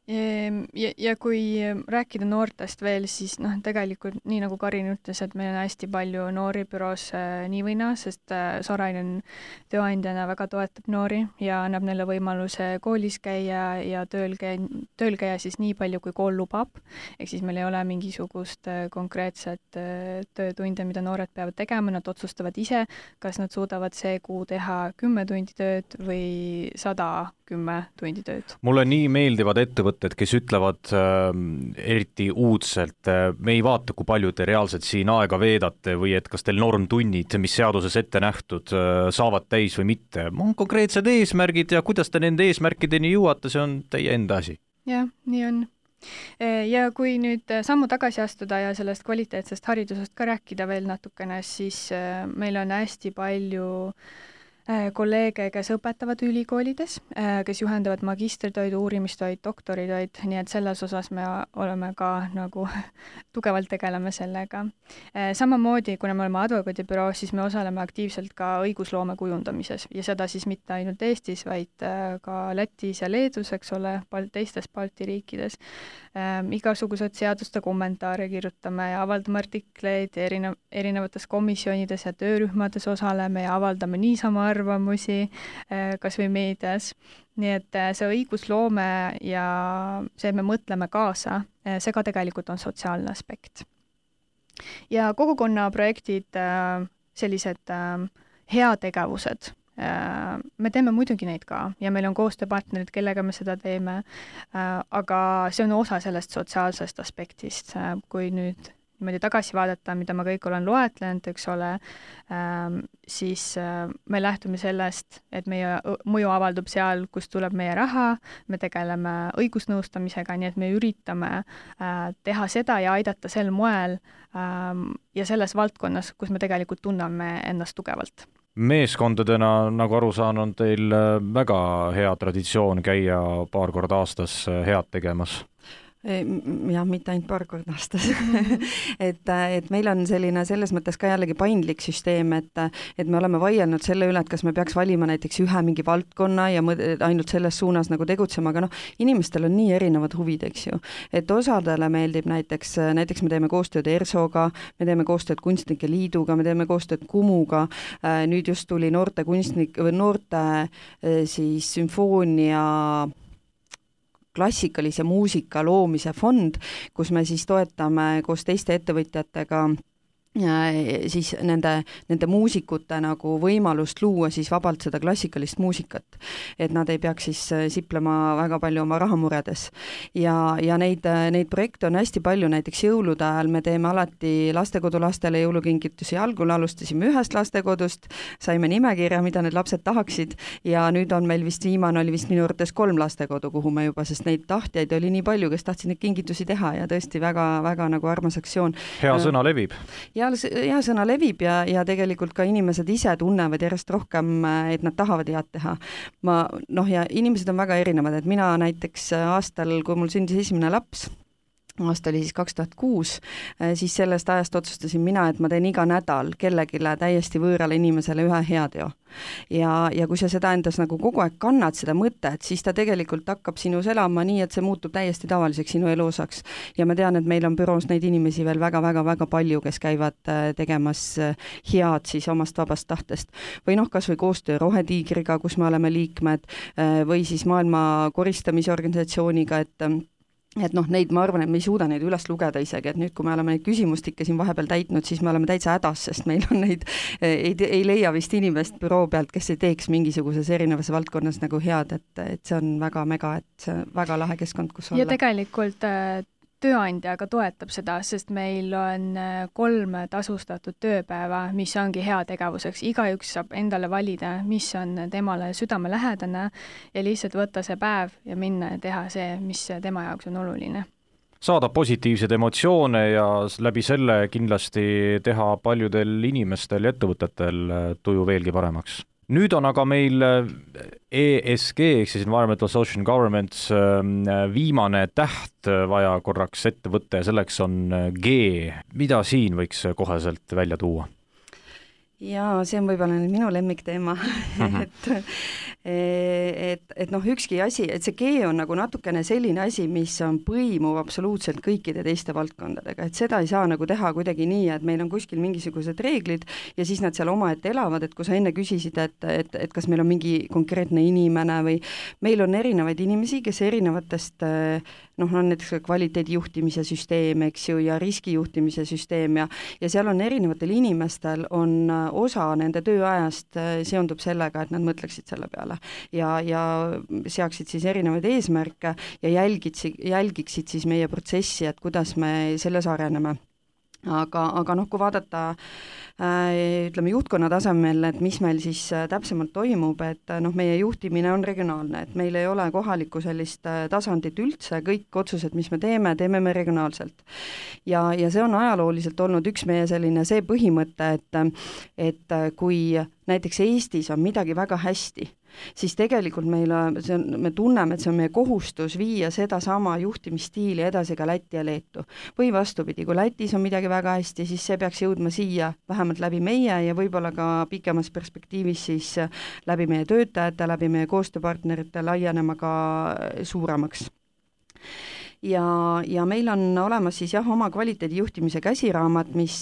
ja, ja kui rääkida noortest veel, siis noh, tegelikult nii nagu Karin ütles, et meil on hästi palju noori büroos nii või naa, sest Sorainen tööandjana väga toetab noori ja annab neile võimaluse koolis käia ja tööl käia, tööl käia siis nii palju, kui kool lubab. Ehk siis meil ei ole mingisugust konkreetset töötunde, mida noored peavad tegema, nad otsustavad ise, kas nad suudavad see kuu teha kümme tundi tööd või sada kümme tundi tööd. Mulle nii meeldivad ettevõtted, kes ütlevad äh, eriti uudselt, äh, me ei vaata, kui palju te reaalselt siin aega veedate või et kas teil normtunnid, mis seaduses ette nähtud, äh, saavad täis või mitte. On konkreetsed eesmärgid ja kuidas te nende eesmärkideni jõuate, see on teie enda asi. Jah, nii on. Ja kui nüüd sammu tagasi astuda ja sellest kvaliteetsest haridusest ka rääkida veel natukene, siis meil on hästi palju kolleege, kes õpetavad ülikoolides, kes juhendavad magistritöid, uurimistöid, doktoritöid, nii et selles osas me oleme ka nagu tugevalt tegeleme sellega. Samamoodi, kuna me oleme advokaadibüroo, siis me osaleme aktiivselt ka õigusloome kujundamises ja seda siis mitte ainult Eestis, vaid ka Lätis ja Leedus, eks ole, teistes Balti riikides. Igasugused seaduste kommentaare kirjutame ja avaldame artikleid erinev, erinevates komisjonides ja töörühmades osaleme ja avaldame niisama arvamusi kas või meedias. Nii et see õigusloome ja see, et me mõtleme kaasa, see ka tegelikult on sotsiaalne aspekt. Ja kogukonnaprojektid, sellised heategevused, me teeme muidugi neid ka ja meil on koostööpartnerid, kellega me seda teeme, aga see on osa sellest sotsiaalsest aspektist, kui nüüd niimoodi tagasi vaadata, mida ma kõik olen loetlenud, eks ole, siis me lähtume sellest, et meie mõju avaldub seal, kus tuleb meie raha, me tegeleme õigusnõustamisega, nii et me üritame teha seda ja aidata sel moel ja selles valdkonnas, kus me tegelikult tunneme ennast tugevalt. Meeskondadena, nagu aru saan, on teil väga hea traditsioon käia paar korda aastas head tegemas. jah, mitte ainult paar korda aastas. et, et meil on selline selles mõttes ka jällegi paindlik süsteem, et, et me oleme vaielnud selle üle, et kas me peaks valima näiteks ühe mingi valdkonna ja ainult selles suunas nagu tegutsema, aga noh, inimestel on nii erinevad huvid, eks ju. Et osadele meeldib näiteks, näiteks me teeme koostööd ERSOga, me teeme koostööd Kunstnike Liiduga, me teeme koostööd Kumuga, nüüd just tuli noorte kunstnik, või noorte siis sümfoonia klassikalise muusika loomise fond, kus me siis toetame koos teiste ettevõtjatega ja siis nende, nende muusikute nagu võimalust luua siis vabalt seda klassikalist muusikat, et nad ei peaks siis siplema väga palju oma rahamuredes. Ja, ja neid, neid projekte on hästi palju, näiteks jõulude ajal me teeme alati lastekodulastele jõulukingitusi, algul alustasime ühest lastekodust, saime nimekirja, mida need lapsed tahaksid ja nüüd on meil vist viimane oli vist minu arvates kolm lastekodu, kuhu me juba, sest neid tahtjaid oli nii palju, kes tahtsid neid kingitusi teha ja tõesti väga, väga nagu armas aktsioon. Hea sõna levib. Ja hea sõna levib ja, ja tegelikult ka inimesed ise tunnevad järjest rohkem, et nad tahavad head teha. Ma, noh, ja inimesed on väga erinevad, et mina näiteks aastal, kui mul sündis esimene laps, aasta oli siis kaks tuhat kuus, siis sellest ajast otsustasin mina, et ma teen iga nädal kellegile täiesti võõrale inimesele ühe heateo. Ja, ja kui sa seda endas nagu kogu aeg kannad seda mõtet, siis ta tegelikult hakkab sinus elama nii, et see muutub täiesti tavaliseks sinu elu osaks. Ja ma tean, et meil on büroos neid inimesi veel väga-väga-väga palju, kes käivad tegemas head siis omast vabast tahtest. Või noh, kas või koostöö Rohetiigriga, kus me oleme liikmed, või siis maailma koristamisorganisatsiooniga, et et noh, neid ma arvan, et me ei suuda neid üles lugeda isegi, et nüüd, kui me oleme neid küsimustikke siin vahepeal täitnud, siis me oleme täitsa hädas, sest meil on neid, ei, ei leia vist inimest büroo pealt, kes ei teeks mingisuguses erinevas valdkonnas nagu head, et, et see on väga mega, et see on väga lahe keskkond, kus olla. Ja tegelikult tööandja aga toetab seda, sest meil on kolm tasustatud tööpäeva, mis ongi hea tegevuseks. Igaüks saab endale valida, mis on temale südamelähedane ja lihtsalt võtta see päev ja minna ja teha see, mis tema jaoks on oluline. Saada positiivseid emotsioone ja läbi selle kindlasti teha paljudel inimestel ja ettevõtetel tuju veelgi paremaks. Nüüd on aga meil E S G, ehk siis Environmental Social Governments, viimane täht vaja korraks ette võtta ja selleks on G. Mida siin võiks koheselt välja tuua? Jaa, see on võib-olla nüüd minu lemmikteema, et, et, et noh, ükski asi, et see G on nagu natukene selline asi, mis on põimuv absoluutselt kõikide teiste valdkondadega, et seda ei saa nagu teha kuidagi nii, et meil on kuskil mingisugused reeglid ja siis nad seal omaette elavad, et kui sa enne küsisid, et, et, et kas meil on mingi konkreetne inimene või meil on erinevaid inimesi, kes erinevatest noh, on näiteks kvaliteedijuhtimise süsteem, eks ju, ja riskijuhtimise süsteem ja, ja seal on erinevatel inimestel on osa nende tööajast seondub sellega, et nad mõtleksid selle peale ja, ja seaksid siis erinevaid eesmärke ja jälgitsi, jälgiksid siis meie protsessi, et kuidas me selles areneme. Aga, aga noh, kui vaadata äh, ütleme juhtkonna tasemel, et mis meil siis äh, täpsemalt toimub, et noh, meie juhtimine on regionaalne, et meil ei ole kohalikku sellist äh, tasandit üldse, kõik otsused, mis me teeme, teeme me regionaalselt. Ja, ja see on ajalooliselt olnud üks meie selline see põhimõte, et, et kui näiteks Eestis on midagi väga hästi, siis tegelikult meil see on, me tunneme, et see on meie kohustus viia seda sama juhtimisstiili edasi ka Lätti ja Leetu. Või vastupidi, kui Lätis on midagi väga hästi, siis see peaks jõudma siia vähemalt läbi meie ja võib-olla ka pikemas perspektiivis siis läbi meie töötajate, läbi meie koostööpartnerite laienema ka suuremaks. ja, ja meil on olemas siis jah, oma kvaliteedijuhtimise käsiraamat, mis,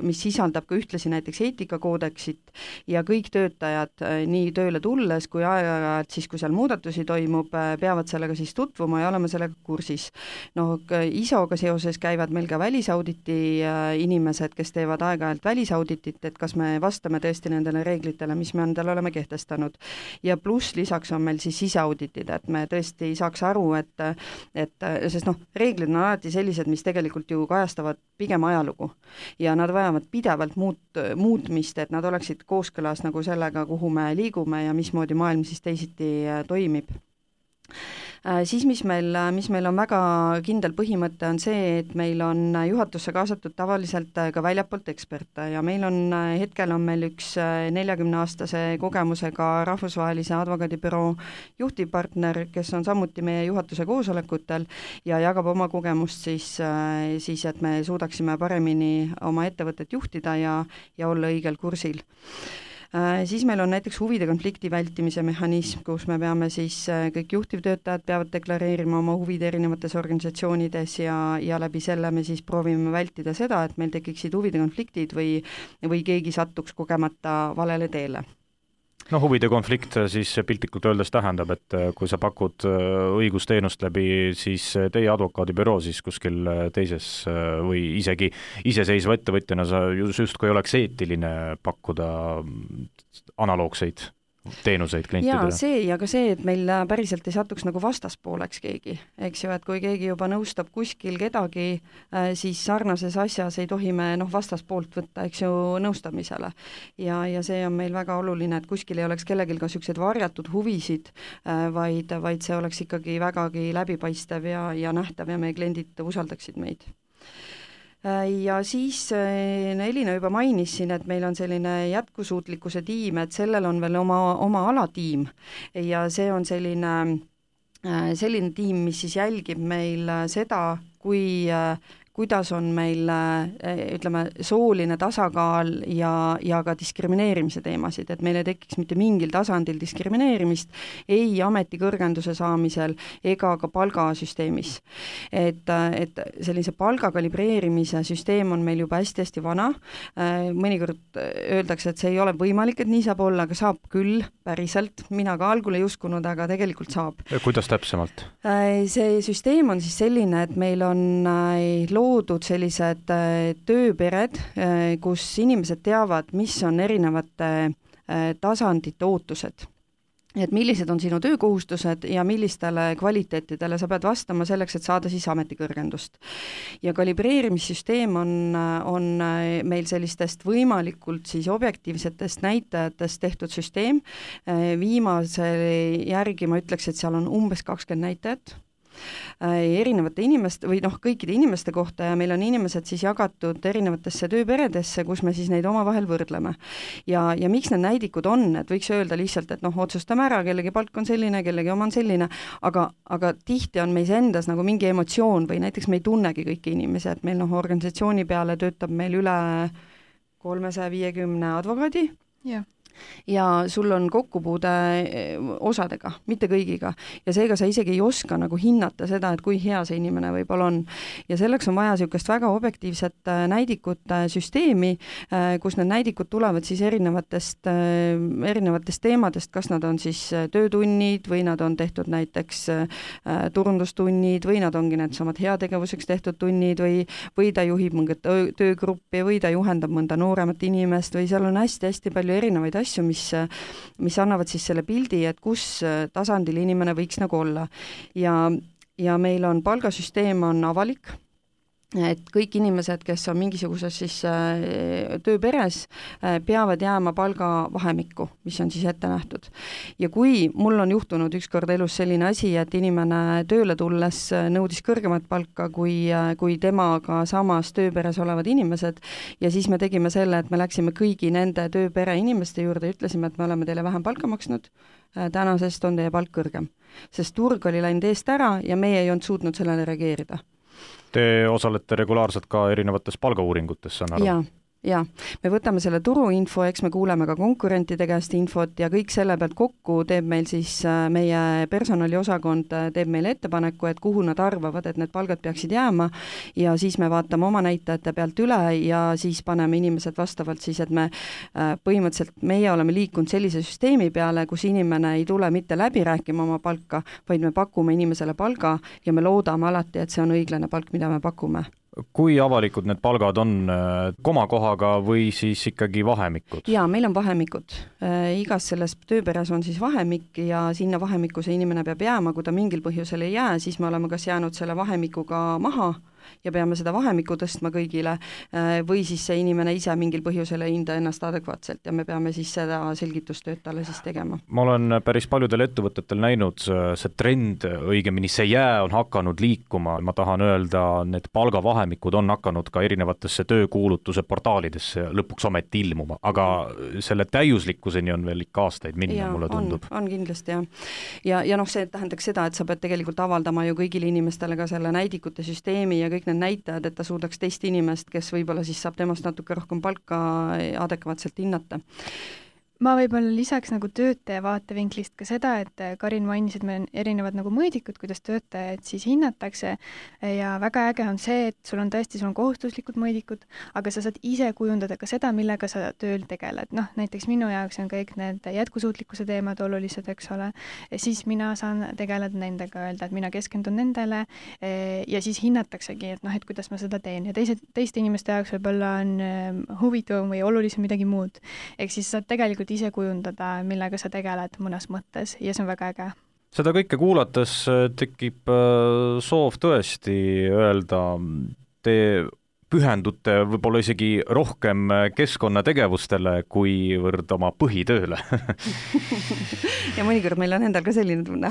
mis sisaldab ka ühtlasi näiteks eetikakoodeksit ja kõik töötajad nii tööle tulles kui aeg-ajalt siis, kui seal muudatusi toimub, peavad sellega siis tutvuma ja olema sellega kursis. No I S O-ga seoses käivad meil ka välisauditi inimesed, kes teevad aeg-ajalt välisauditit, et kas me vastame tõesti nendele reeglitele, mis me endale oleme kehtestanud. Ja pluss lisaks on meil siis siseauditid, et me tõesti saaks aru, et, et sest noh, reeglid on alati sellised, mis tegelikult ju kajastavad pigem ajalugu ja nad vajavad pidevalt muut, muutmist, et nad oleksid kooskõlas nagu sellega, kuhu me liigume ja mismoodi maailm siis teisiti toimib. Siis mis meil, mis meil on väga kindel põhimõte on see, et meil on juhatusse kaasatud tavaliselt ka väljapoolt eksperte ja meil on, hetkel on meil üks neljakümne aastase kogemusega rahvusvahelise advokaadibüroo juhtivpartner, kes on samuti meie juhatuse koosolekutel ja jagab oma kogemust siis, siis et me suudaksime paremini oma ettevõtet juhtida ja, ja olla õigel kursil. Siis meil on näiteks huvide konflikti vältimise mehhanism, kus me peame siis, kõik juhtivtöötajad peavad deklareerima oma huvid erinevates organisatsioonides ja, ja läbi selle me siis proovime vältida seda, et meil tekiksid huvide konfliktid või, või keegi sattuks kogemata valele teele. No huvide konflikt siis piltlikult öeldes tähendab, et kui sa pakud õigusteenust läbi siis teie advokaadibüroo, siis kuskil teises või isegi iseseisva ettevõtjana sa justkui oleks eetiline pakkuda analoogseid teenuseid klientidele. Jaa, see ja ka see, et meil päriselt ei satuks nagu vastaspooleks keegi, eks ju, et kui keegi juba nõustab kuskil kedagi, siis sarnases asjas ei tohi me noh, vastaspoolt võtta, eks ju, nõustamisele. Ja, ja see on meil väga oluline, et kuskil ei oleks kellelgi ka sellised varjatud huvisid, vaid, vaid see oleks ikkagi vägagi läbipaistev ja, ja nähtav ja meie kliendid usaldaksid meid. Ja siis Elina juba mainis siin, et meil on selline jätkusuutlikkuse tiim, et sellel on veel oma, oma alatiim ja see on selline, selline tiim, mis siis jälgib meil seda, kui kuidas on meil, ütleme, sooline tasakaal ja, ja ka diskrimineerimise teemasid, et meil ei tekiks mitte mingil tasandil diskrimineerimist ei ametikõrgenduse saamisel ega ka palgasüsteemis. Et, et sellise palga kalibreerimise süsteem on meil juba hästi-hästi vana. Mõnikord öeldakse, et see ei ole võimalik, et nii saab olla, aga saab küll päriselt. Mina ka algul ei uskunud, aga tegelikult saab. Ja kuidas täpsemalt? See süsteem on siis selline, et meil on loodud sellised tööpered, kus inimesed teavad, mis on erinevate tasandite ootused. Et millised on sinu töökohustused ja millistele kvaliteetidele sa pead vastama selleks, et saada siis ametikõrgendust. Ja kalibreerimissüsteem on, on meil sellistest võimalikult siis objektiivsetest näitajatest tehtud süsteem. Viimase järgi ma ütleks, et seal on umbes kakskümmend näitajat erinevate inimeste või noh, kõikide inimeste kohta ja meil on inimesed siis jagatud erinevatesse tööperedesse, kus me siis neid omavahel võrdleme. Ja, ja miks need näidikud on, et võiks öelda lihtsalt, et noh, otsustame ära, kellegi palk on selline, kellegi oma on selline, aga, aga tihti on meis endas nagu mingi emotsioon või näiteks me ei tunnegi kõiki inimesi, et meil noh, organisatsiooni peale töötab meil üle kolmesaja viiekümne advokaadi. Jah. Ja sul on kokkupuude osadega, mitte kõigiga. Ja seega sa isegi ei oska nagu hinnata seda, et kui hea see inimene võib-olla on. Ja selleks on vaja niisugust väga objektiivset näidikute süsteemi, kus need näidikud tulevad siis erinevatest, erinevatest teemadest, kas nad on siis töötunnid või nad on tehtud näiteks turundustunnid või nad ongi need samad heategevuseks tehtud tunnid või, või ta juhib mõnda töögruppi või ta juhendab mõnda nooremat inimest või seal on hästi-hästi palju erinevaid asju, mis, mis annavad siis selle pildi, et kus tasandil inimene võiks nagu olla. Ja, ja meil on palgasüsteem on avalik, et kõik inimesed, kes on mingisuguses siis tööperes, peavad jääma palgavahemikku, mis on siis ette nähtud. Ja kui mul on juhtunud ükskord elus selline asi, et inimene tööle tulles nõudis kõrgemat palka kui, kui temaga samas tööperes olevad inimesed ja siis me tegime selle, et me läksime kõigi nende tööpere inimeste juurde ja ütlesime, et me oleme teile vähem palka maksnud, tänasest on teie palk kõrgem. Sest turg oli läinud eest ära ja meie ei olnud suutnud sellele reageerida. Te osalete regulaarselt ka erinevates palgauuringutes, saan aru? Jaa, jaa, me võtame selle turuinfo, eks me kuuleme ka konkurentide käest infot ja kõik selle pealt kokku teeb meil siis meie personaliosakond teeb meile ettepaneku, et kuhu nad arvavad, et need palgad peaksid jääma ja siis me vaatame oma näitajate pealt üle ja siis paneme inimesed vastavalt siis, et me põhimõtteliselt, meie oleme liikunud sellise süsteemi peale, kus inimene ei tule mitte läbi rääkima oma palka, vaid me pakume inimesele palga ja me loodame alati, et see on õiglane palk, mida me pakume. Kui avalikud need palgad on komakohaga või siis ikkagi vahemikud? Jaa, meil on vahemikud. Igas selles tööperes on siis vahemik ja sinna vahemiku see inimene peab jääma, kui ta mingil põhjusel ei jää, siis me oleme kas jäänud selle vahemikuga maha ja peame seda vahemikku tõstma kõigile või siis see inimene ise mingil põhjusel ei hinda ennast adekvaatselt ja me peame siis seda selgitustööd talle siis tegema. Ma olen päris paljudel ettevõtetel näinud see trend, õigemini see jää on hakanud liikuma, ma tahan öelda, need palgavahemikud on hakanud ka erinevatesse töökuulutuse portaalidesse lõpuks ometi ilmuma, aga selle täiuslikkuseni on veel ikka aastaid minna, ja, mulle tundub. On, on kindlasti, jah. Ja, ja noh, see tähendaks seda, et sa pead tegelikult avaldama ju kõigile inimestele ka selle näidikute süsteemi ja kõik need näitajad, et ta suudaks teist inimest, kes võib-olla siis saab temast natuke rohkem palka adekvaatselt hinnata. Ma võib-olla lisaks nagu töötaja vaatevinklist ka seda, et Karin mainis, et meil on erinevad nagu mõõdikud, kuidas töötajad siis hinnatakse ja väga äge on see, et sul on tõesti, sul on kohustuslikud mõõdikud, aga sa saad ise kujundada ka seda, millega sa tööl tegeled. Noh, näiteks minu jaoks on kõik need jätkusuutlikkuse teemad olulised, eks ole, ja siis mina saan tegeleda nendega, öelda, et mina keskendun nendele ja siis hinnataksegi, et noh, et kuidas ma seda teen ja teised, teiste inimeste jaoks võib-olla on huvitavam või olulisem midagi muud. Ehk siis saad tegelikult ise kujundada, millega sa tegeled mõnes mõttes ja see on väga äge. Seda kõike kuulates tekib soov tõesti öelda, te pühendute võib-olla isegi rohkem keskkonnategevustele kuivõrd oma põhitööle. Ja mõnikord meil on endal ka selline tunne.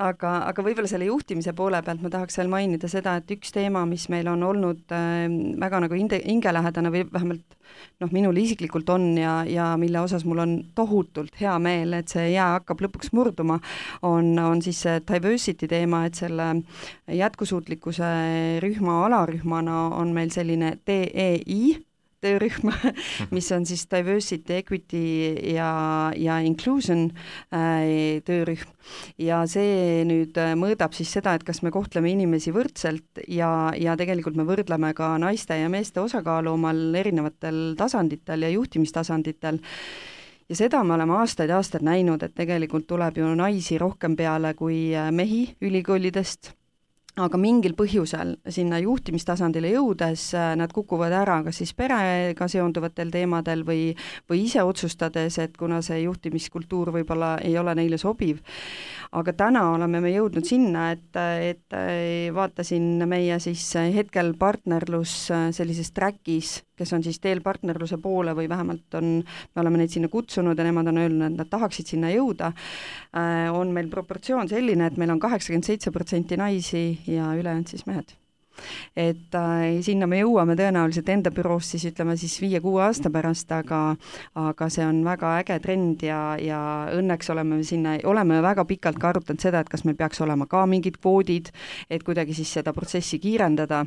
aga, aga võib-olla selle juhtimise poole pealt ma tahaks veel mainida seda, et üks teema, mis meil on olnud äh, väga nagu hingelähedane või vähemalt noh, minul isiklikult on ja, ja mille osas mul on tohutult hea meel, et see jää hakkab lõpuks murduma, on, on siis see diversity teema, et selle jätkusuutlikkuse rühma alarühmana on meil selline D E I töörühm, mis on siis diversity, equity ja, ja inclusion äh, töörühm ja see nüüd mõõdab siis seda, et kas me kohtleme inimesi võrdselt ja, ja tegelikult me võrdleme ka naiste ja meeste osakaalu omal erinevatel tasanditel ja juhtimistasanditel. Ja seda me oleme aastaid ja aastaid näinud, et tegelikult tuleb ju naisi rohkem peale kui mehi ülikoolidest, aga mingil põhjusel sinna juhtimistasandile jõudes nad kukuvad ära, kas siis perega seonduvatel teemadel või, või ise otsustades, et kuna see juhtimiskultuur võib-olla ei ole neile sobiv. Aga täna oleme me jõudnud sinna, et, et vaatasin meie siis hetkel partnerlus sellises trackis, kes on siis teel partnerluse poole või vähemalt on, me oleme neid sinna kutsunud ja nemad on öelnud, et nad tahaksid sinna jõuda, on meil proportsioon selline, et meil on kaheksakümmend seitse protsenti naisi ja ülejäänud siis mehed. Et äh, sinna me jõuame tõenäoliselt enda büroos siis ütleme siis viie-kuue aasta pärast, aga, aga see on väga äge trend ja, ja õnneks oleme sinna, oleme väga pikalt ka arutanud seda, et kas meil peaks olema ka mingid kvoodid, et kuidagi siis seda protsessi kiirendada.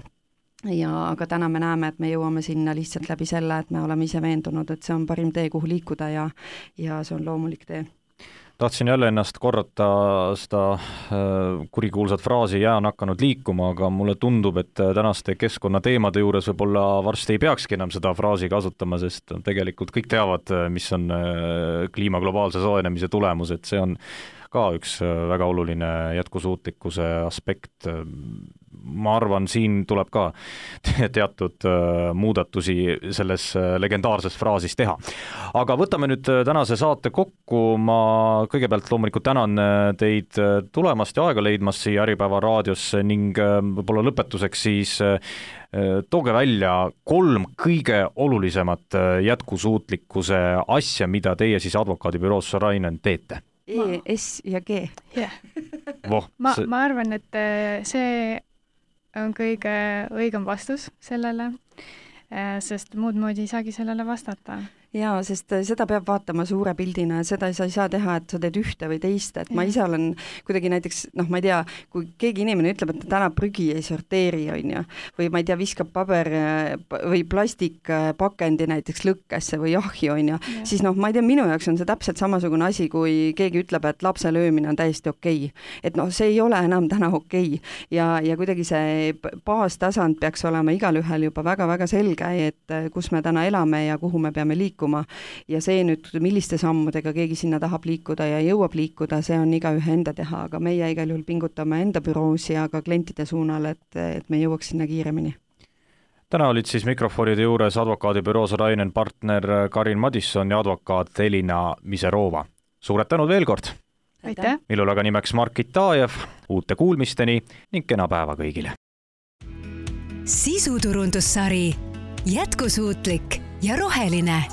Ja aga täna me näeme, et me jõuame sinna lihtsalt läbi selle, et me oleme ise veendunud, et see on parim tee, kuhu liikuda ja, ja see on loomulik tee. Tahtsin jälle ennast korrata seda kurikuulsat fraasi jää on hakanud liikuma, aga mulle tundub, et tänaste keskkonnateemade juures võib-olla varsti ei peakski enam seda fraasi kasutama, sest tegelikult kõik teavad, mis on kliima globaalse soojenemise tulemus, et see on ka üks väga oluline jätkusuutlikkuse aspekt. Ma arvan, siin tuleb ka teatud muudatusi selles legendaarses fraasis teha. Aga võtame nüüd tänase saate kokku. Ma kõigepealt loomulikult tänan teid tulemast ja aega leidmast siia Äripäeva raadiosse ning võib-olla lõpetuseks siis tooge välja kolm kõige olulisemat jätkusuutlikkuse asja, mida teie siis advokaadibüroos Sorainen teete. E, S ja G. Yeah. Voh, ma, see... ma arvan, et see on kõige õigem vastus sellele, sest muud moodi ei saagi sellele vastata. jaa, sest seda peab vaatama suure pildina, seda sa ei saa teha, et sa teed ühte või teist, et ma ise olen kuidagi näiteks, noh, ma ei tea, kui keegi inimene ütleb, et ta täna prügi ei sorteeri, on ju, või ma ei tea, viskab paber või plastikpakendi näiteks lõkkesse või ahju, on ju, siis noh, ma ei tea, minu jaoks on see täpselt samasugune asi, kui keegi ütleb, et lapse löömine on täiesti okei. Et noh, see ei ole enam täna okei. Ja, ja kuidagi see baastasand peaks olema igalühel juba väga-väga selge, et kus me täna elame ja kuhu me peame liikuma. Ja see nüüd, milliste sammudega keegi sinna tahab liikuda ja jõuab liikuda, see on igaühe enda teha, aga meie igal juhul pingutame enda büroos ja ka klientide suunal, et, et me jõuaks sinna kiiremini. Täna olid siis mikrofonide juures advokaadibüroos Rainen partner Karin Madisson ja advokaat Elina Miserova. Suured tänud veel kord! Aitäh! Millul aga nimeks Margit Taajev, uute kuulmisteni ning kena päeva kõigile! Sisuturundussari Jätkusuutlik ja roheline.